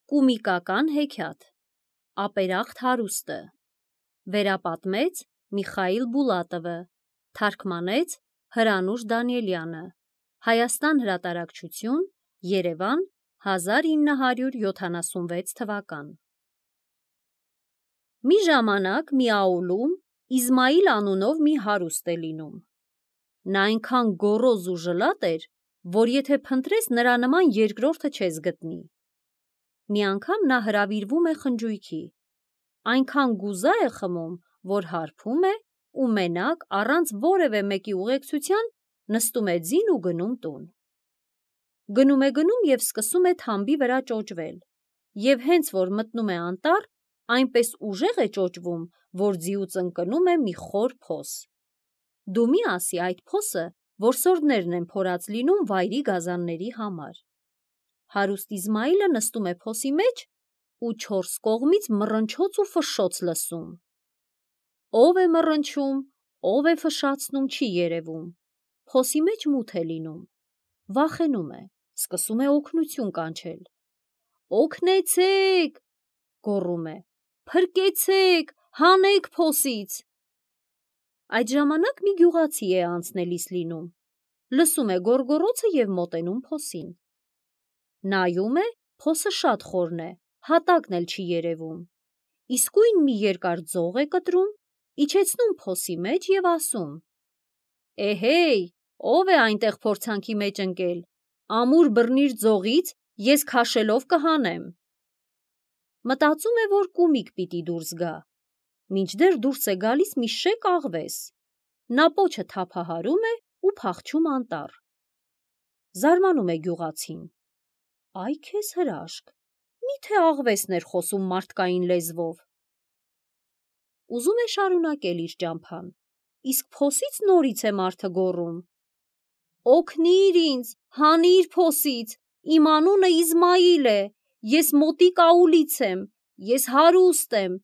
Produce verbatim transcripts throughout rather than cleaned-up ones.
Կոմիկական հեքիաթ Ապերախտ հարուստը Վերապատմեց Միխայիլ Բուլատովը Թարգմանեց Հրանուշ Դանիելյանը Հայաստան հրատարակչություն Երևան հազար ինը հարյուր յոթանասունվեց թվական Մի ժամանակ մի աուլում Իզմայիլ անունով մի հարուստ է լինում Նա այնքան գոռոզ ու ժլատ էր, որ եթե փնտրես նրա նման երկրորդը չես գտնի Մի անգամ նա հրավիրվում է խնջույքի, այնքան գուզա է խմում, որ հարբում է ու մենակ առանց որևէ մեկի ուղեկցության նստում է ձին ու գնում տուն։ Գնում է գնում և սկսում է թամբի վրա ճոճվել, և հենց որ մտնում է անտառ, այնպես ուժեղ է ճոճվում, որ ձիուց ընկնում է մի խոր փոս։ Դու մի ասի այդ փոսը որսորդներն են փորած լինում վայրի գազանների համար։ Հարուստ Իզմայիլը նստում է փոսի մեջ ու չորս կողմից մռնչոց ու ֆշշոց լսում։ Ով է մռնչում, ով է ֆշշացնում չի երևում, փոսի մեջ մութ է լինում, վախենում է, սկսում է օգնություն կանչել։ Օգնեցե՛ք, գոռում է, փրկեցե՛ք, հանեք փոսից։ Այդ ժամանակ մի գյուղացի է անցնելիս լինում, լսում է գոռգոռոցը և մոտենում փոսին։ Նայում է, փոսը շատ խորն է, հատակն էլ չի երևում, իսկույն մի երկար ձող է կտրում, իջեցնում փոսի մեջ և ասում. Էհեյ, ով է այնտեղ փորձանքի մեջ ընկել, ամուր բռնիր ձողից, ես քաշելով կհանեմ։ Մտածում է, որ կոմիկ պիտի դուրս գա, մինչդեռ դուրս է գալիս մի շեկ աղվես, նա պոչը թափահարում է ու փախչում անտառ։ Զարմանում է գյուղացին. Այ քեզ հրաշք, մի՞թե աղվեսն էր խոսում մարդկային լեզվով։ Ուզում է շարունակել իր ճամփան, իսկ փոսից նորից է մարդը գոռում. Օգնիր ինձ, հանիր փոսից, իմ անունը Իզմայիլ է, ես մոտիկ աուլից եմ, ես հարուստ եմ,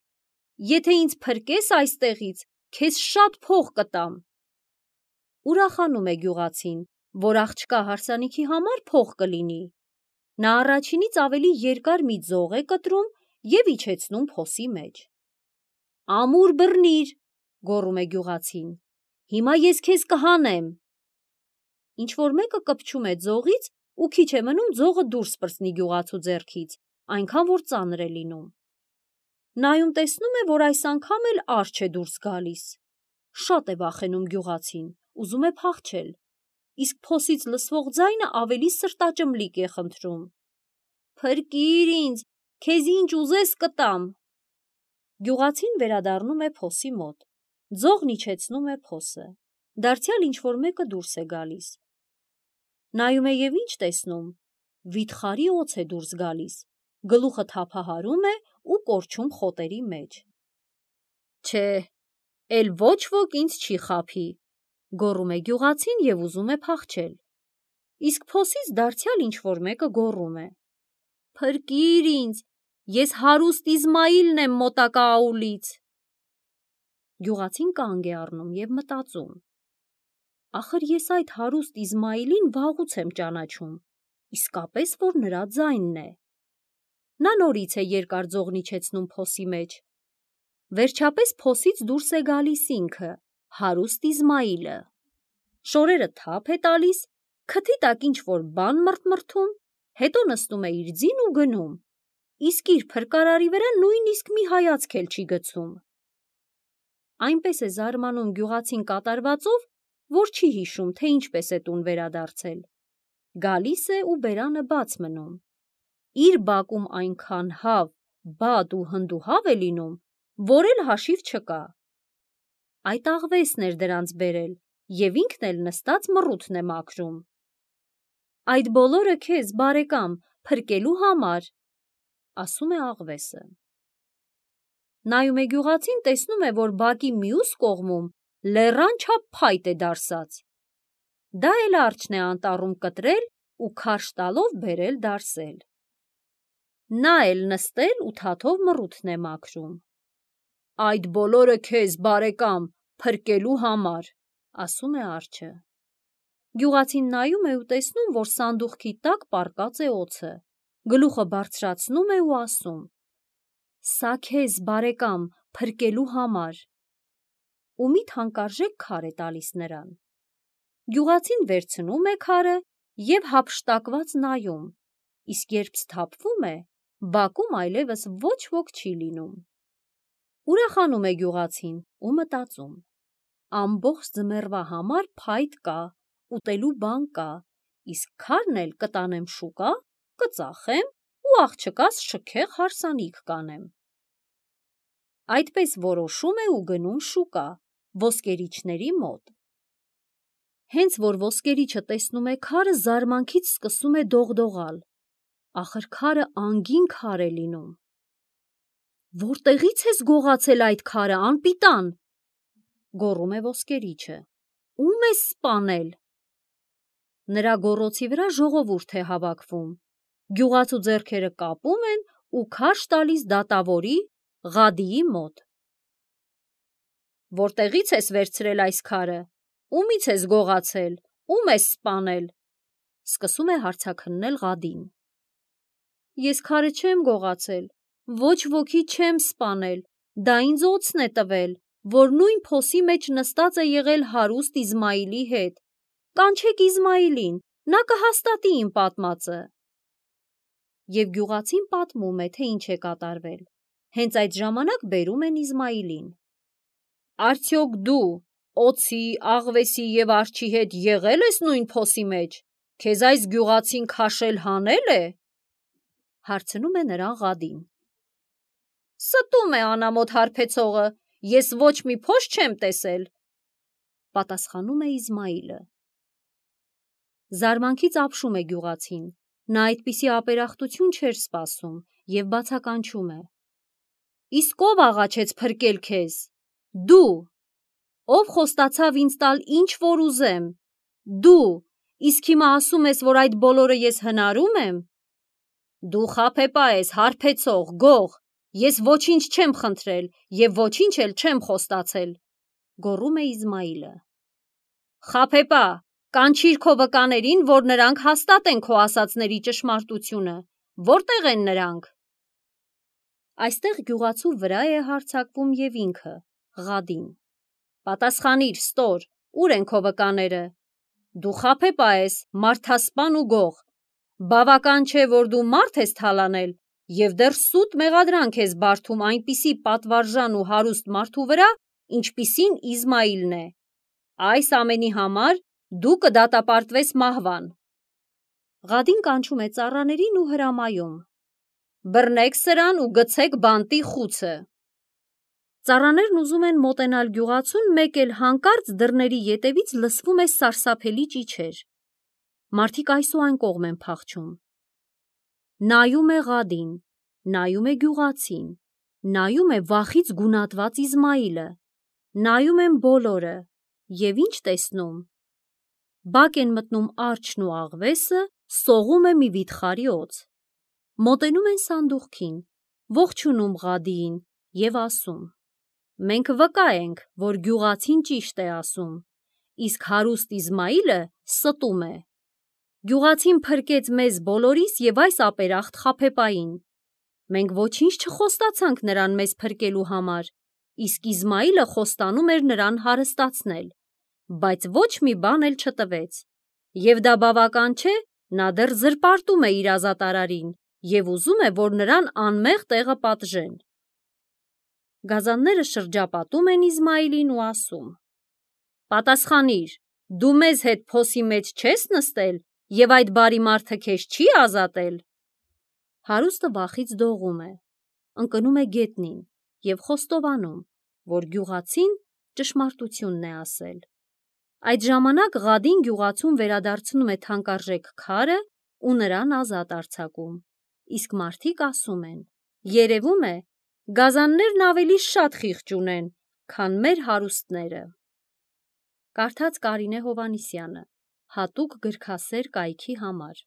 եթե ինձ փրկես այստեղից, քեզ շատ փող կտամ։ Ուրախանում է գյուղացին, որ աղջկա հարսանիքի համար փող կլինի։ Նա առաջինից ավելի երկար մի ձող է կտրում և իջեցնում փոսի մեջ։ Ամուր բռնիր, գոռում է գյուղացին, հիմա ես քեզ կհանեմ։ Ինչ-որ մեկը կպչում է ձողից ու քիչ է մնում ձողը դուրս պրծնի գյուղացու ձեռքից, այնքան որ ծանր է լինում։ Նայում տեսնում է, որ այս անգամ էլ արջ է դուրս գալիս։ Շատ է վախենում գյուղացին, ուզում է փախչել, իսկ փոսից լսվող ձայնը ավելի սրտաճմլիկ է խնդրում. Փրկիր ինձ, քեզ ինչ ուզես կտամ։ Գյուղացին վերադառնում է փոսի մոտ, ձողն իջեցնում է փոսը, դարձյալ ինչ-որ մեկը դուրս է գալիս։ Նայում է և ինչ տեսնում, վիթխարի օձ է դուրս գալիս, գլուխը թափահարում է ու կորչում խոտերի մեջ։ Չէ, էլ ոչ ոք ինձ չի խաբի, գոռում է գյուղացին և ուզում է փախչել, իսկ փոսից դարձյալ ինչ-որ մեկը գոռում է. Փրկիր ինձ, ես հարուստ Իզմայիլն եմ մոտակա աուլից։ Գյուղացին կանգ է առնում և մտածում. Ախր ես այդ հարուստ Իզմայիլին վաղուց եմ ճանաչում, իսկապես որ նրա ձայնն է։ Նա նորից է երկար ձողն իջեցնում փոսի մեջ։ Վերջապես փոսից դուրս է գալիս ինքը, հարուստ Իզմայիլը։ Շորերը թափ է տալիս, քթի տակ ինչ-որ բան մրթմրթում, հետո նստում է իր ձին ու գնում, իսկ իր փրկարարի վրա նույնիսկ մի հայացք էլ չի գցում։ Այնպես է զարմանում գյուղացին կատարվածով, որ չի հիշում, թե ինչպես է տուն վերադարձել։ Գալիս է ու բերանը բաց մնում։ Իր բակում այնքան հավ, բադ ու հնդուհավ է լինում, որ էլ հաշիվ չկա։ Այդ աղվեսն էր դրանց բերել, և ինքն էլ նստած մռութն է մաքրում։ Այդ բոլորը քեզ, բարեկամ, փրկելու համար, ասում է աղվեսը։ Նայում է գյուղացին, տեսնում է, որ բակի մյուս կողմում լեռան չափ փայտ է դարսած։ Դա էլ արջն է անտառում կտրել ու քարշ տալով բերել դարսել։ Նա էլ նստել ու թաթով մռութն է մաքրում։ Այդ բոլորը քեզ, բարեկամ, փրկելու համար, ասում է արջը։ Գյուղացին նայում է ու տեսնում, որ սանդուղքի տակ պառկած է օձը, գլուխը բարձրացնում է ու ասում. «Սա քեզ, բարեկամ, փրկելու համար», ու մի թանկարժեք քար է տալիս նրան։ Գյուղացին վերցնում է քարը և հափշտակված նայում, իսկ երբ սթափվում է, բակում այլևս ոչ ոք չի լինում։ Ուրախանում է գյուղացին ու մտածում. ամբողջ ձմեռվա համար փայտ կա, ուտելու բան կա, իսկ քարն էլ կտանեմ շուկա, կծախեմ ու աղջկաս շքեղ հարսանիք կանեմ։ Այդպես որոշում է ու գնում շուկա, ոսկերիչների մոտ։ Հենց որ ոսկերիչը տեսնում է քարը, զարմանքից սկսում է դողդողալ։ Ախր քարը անգին քար է լինում։ «Որտեղի՞ց ես գողացել այդ քարը, անպիտան», գոռում է ոսկերիչը։ «Ո՞ւմ ես սպանել»։ Նրա գոռոցի վրա ժողովուրդ է հավաքվում։ Գյուղացու ձեռքերը կապում են ու քարշ տալիս դատավորի՝ Ղադիի մոտ։ «Որտեղի՞ց ես վերցրել այս քարը, ումի՞ց ես գողացել, ո՞ւմ ես սպանել», սկսում է հարցաքննել Ղադին։ «Ես քարը չեմ գողացել, ոչ ոքի չեմ սպանել, դա ինձ օձն է տվել, որ նույն փոսի մեջ նստած է եղել հարուստ Իզմայիլի հետ։ Կանչեք Իզմայիլին, նա կհաստատի իմ պատմածը»։ Եվ գյուղացին պատմում է, թե ինչ է կատարվել։ Հենց այդ ժամանակ բերում են Իզմայիլին։ «Արդյոք դու օձի, աղվեսի և արջի հետ եղե՞լ ես նույն փոսի մեջ, քեզ այս գյուղացին քաշել հանե՞լ է», հարցնում է նրան Ղադին։ «Ստում է անամոթ հարբեցողը, ես ոչ մի փոս չեմ տեսել», պատասխանում է Իզմայիլը։ Զարմանքից ապշում է գյուղացին, նա այդպիսի ապերախտություն չէր սպասում և բացականչում է. «Իսկ ով աղաչեց փրկել քեզ։ Դու։ Ով խոստացավ ինձ տալ ինչ որ ուզեմ։ Դու, իսկ հիմա ասում ես, որ այդ բոլորը ես հնարում եմ։ Դու խաբեբա ես, հարբեցող, գող, ես ոչինչ չեմ խնդրել և ոչինչ էլ չեմ խոստացել», գոռում է Իզմայիլը։ «Խաբեբա, կանչիր քո վկաներին, որ նրանք հաստատեն քո ասածների ճշմարտությունը, որտե՞ղ են նրանք»։ Այստեղ գյուղացու վրա է հարձակվում և ինքը՝ Ղադին։ «Պատասխանիր, ստոր, ուր են քո վկաները։ Դու խաբեբա ես, մարդասպան ու գող։ Բավական չէ, որ դու մարդ ես թալանել և դեռ սուտ մեղադրանք ես բարդում այնպիսի պատվարժան ու հարուստ մարդու վրա, ինչպիսին Իզմայիլն է։ Այս ամենի համար դու կդատապարտվես մահվան»։ Ղադին կանչում է ծառաներին ու հրամայում. «Բռնեք սրան ու գցեք բանտի խուցը»։ Ծառաներն ուզում են մոտենալ գյուղացուն, մեկ էլ հանկարծ դռների ետևից լսվում է սարսափելի ճիչեր։ Մարդիկ այս ու այն կողմ են փախչում։ Նայում է Ղադին, նայում է գյուղացին, նայում է վախից գունատված Իզմայիլը, նայում են բոլորը և ինչ տեսնում։ Բակ են մտնում արջն ու աղվեսը, սողում է մի վիթխարի օձ։ Մոտենում են սանդուղքին, ողջունում Ղադիին և ասում. «Մենք վկա ենք, որ գյուղացին ճիշտ է ասում, իսկ հարուստ Իզմայիլը ստում է։ Գյուղացին փրկեց մեզ բոլորիս և այս ապերախտ խաբեբային։ Մենք ոչինչ չխոստացանք նրան մեզ փրկելու համար, իսկ Իզմայիլը խոստանում էր նրան հարստացնել, բայց ոչ մի բան էլ չտվեց։ Եվ դա բավական չէ, նա դեռ զրպարտում է իր ազատարարին և ուզում է, որ նրան անմեղ տեղը պատժեն»։ Գազանները շրջապատում են Իզմայիլին ու ասում. «Պատասխանիր, դու մեզ հետ փոսի մեջ չե՞ս նստել և այդ բարի մարդը քեզ չի ազատել»։ Հարուստը վախից դողում է, ընկնում է գետնին և խոստովանում, որ գյուղացին ճշմարտությունն է ասել։ Այդ ժամանակ Ղադին գյուղացուն վերադարձնում է թանկարժեք քարը ու նրան ազատ արձակում, իսկ մարդիկ ասում են. «Երևում է, գազաններն ավելի շատ խիղճ ունեն, քան մեր հարուստները»։ Կարդաց Կարինե Հովհաննիսյանը, հատուկ գրքասեր կայքի համար։